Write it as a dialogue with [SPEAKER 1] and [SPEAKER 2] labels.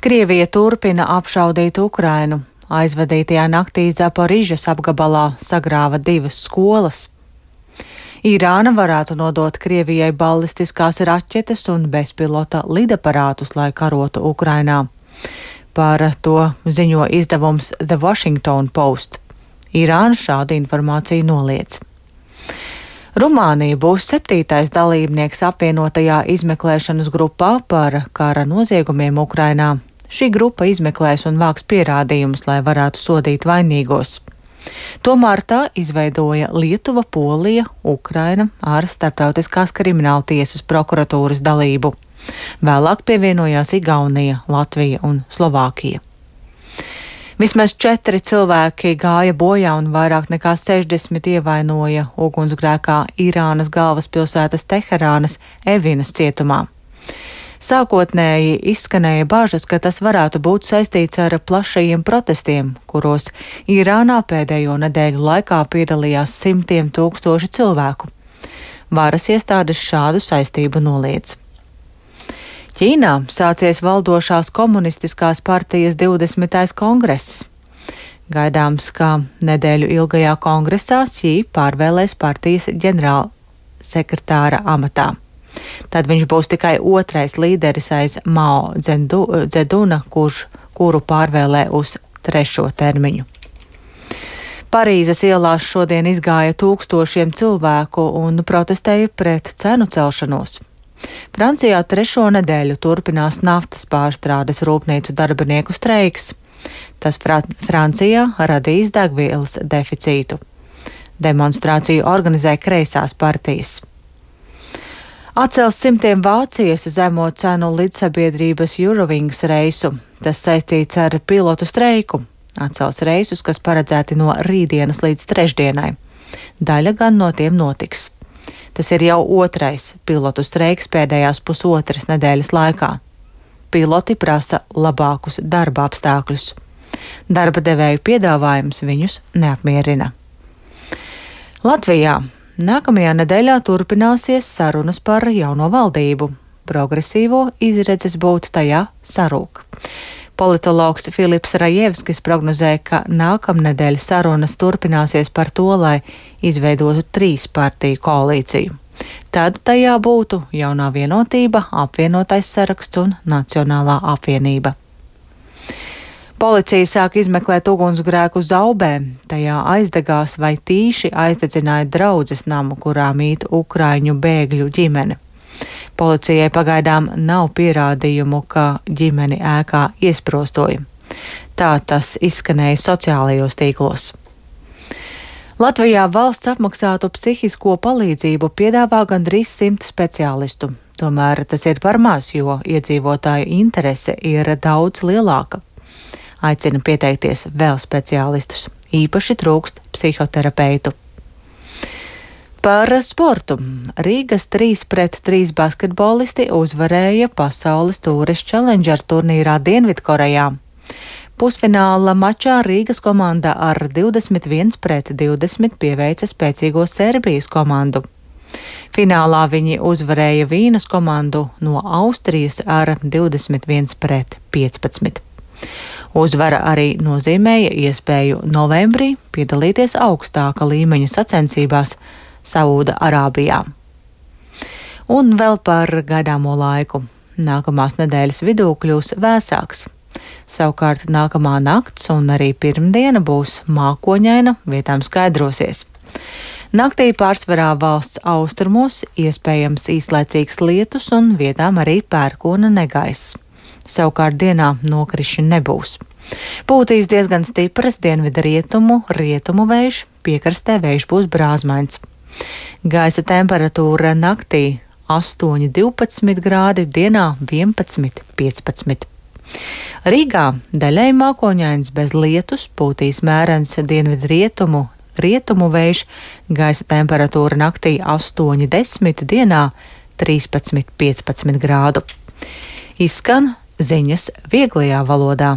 [SPEAKER 1] Krievija turpina apšaudīt Ukrainu. Aizvadītajā naktī Zaporižas apgabalā sagrāva 2 skolas. Irāna varētu nodot Krievijai ballistiskās raķetes un bezpilota lidaparātus, lai karotu Ukrainā. Par to ziņo izdevums The Washington Post. Irāna šādu informāciju noliedz. Rumānija būs 7. dalībnieks apvienotajā izmeklēšanas grupā par kara noziegumiem Ukrainā. Šī grupa izmeklēs un vāks pierādījumus, lai varētu sodīt vainīgos. Tomēr tā izveidoja Lietuva, Polija, Ukraina ar Starptautiskās krimināla tiesas prokuratūras dalību. Vēlāk pievienojās Igaunija, Latvija un Slovākija. Vismaz 4 cilvēki gāja bojā un vairāk nekā 60 ievainoja ugunsgrēkā Irānas galvaspilsētas Teherānas Evinas cietumā. Sākotnēji izskanēja bažas, ka tas varētu būt saistīts ar plašajiem protestiem, kuros Irānā pēdējo nedēļu laikā piedalījās simtiem tūkstoši cilvēku. Varas iestādes šādu saistību noliedz. Ķīnā sācies valdošās komunistiskās partijas 20. kongress. Gaidāms, ka nedēļu ilgajā kongresā Xi pārvēlēs partijas ģenerālsekretāra amatā. Tad viņš būs tikai 2. līderis aiz Mao Dzeduna, kuru pārvēlē uz 3. termiņu. Parīzes ielās šodien izgāja tūkstošiem cilvēku un protestēja pret cenu celšanos. Francijā 3. nedēļu turpinās naftas pārstrādes rūpnīcu darbinieku streiks. Tas Francijā radīs degvielas deficītu. Demonstrāciju organizē kreisās partijas. Atcels simtiem Vācijas zemo cenu lidsabiedrības Eurowings reisu. Tas saistīts ar pilotu streiku. Atcels reisus, kas paredzēti no rītdienas līdz trešdienai. Daļa gan no tiem notiks. Tas ir jau 2. pilotu streiks pēdējās pusotras nedēļas laikā. Piloti prasa labākus darba apstākļus. Darba devēju piedāvājums viņus neapmierina. Latvijā nākamajā nedēļā turpināsies sarunas par jauno valdību. Progresīvo izredzes būt tajā sarūk. Politologs Filips Rajevskis prognozē, ka nākamnedēļ sarunas turpināsies par to, lai izveidotu 3 partiju koalīciju. Tad tajā būtu Jaunā vienotība, Apvienotais saraksts un Nacionālā apvienība. Policija sāk izmeklēt ugunsgrēku Zaubē. Tajā aizdegās vai tīši aizdedzināja draudzes namu, kurā mīt ukraiņu bēgļu ģimene. Policijai pagaidām nav pierādījumu, ka ģimeni ēkā iesprostoja. Tā tas izskanēja sociālajos tīklos. Latvijā valsts apmaksātu psihisko palīdzību piedāvā gandrīz 100 speciālistu. Tomēr tas ir par maz, jo iedzīvotāju interese ir daudz lielāka. Aicina pieteikties vēl speciālistus. Īpaši trūkst psihoterapeitu. Par sportu. Rīgas 3-3 basketbolisti uzvarēja pasaules Tourist Challenger turnīrā Dienvidkorejā. Pusfināla mačā Rīgas komanda ar 21-20 pieveica spēcīgo Serbijas komandu. Finālā viņi uzvarēja Vīnas komandu no Austrijas ar 21-15. Uzvara arī nozīmēja iespēju novembrī piedalīties augstāka līmeņa sacensībās Saūda Arābijā. Un vēl par gaidāmo laiku. Nākamās nedēļas vidū kļūs vēsāks. Savukārt nākamā nakts un arī pirmdiena būs mākoņaina, vietām skaidrosies. Naktī pārsvarā valsts austrumos iespējams īslaicīgs lietus un vietām arī pērkona negaiss. Savukārt dienā nokrišņu nebūs. Pūtīs diezgan stipras dienvidu rietumu vējš, piekrastē vējš būs brāzmains. Gaisa temperatūra naktī 8-12 grādi, dienā 11-15. Rīgā daļai mākoņains bez lietus, pūtīs mērens dienvidu rietumu vējš, gaisa temperatūra naktī 8-10, dienā 13-15 grādu. Izskan ziņas vieglajā valodā.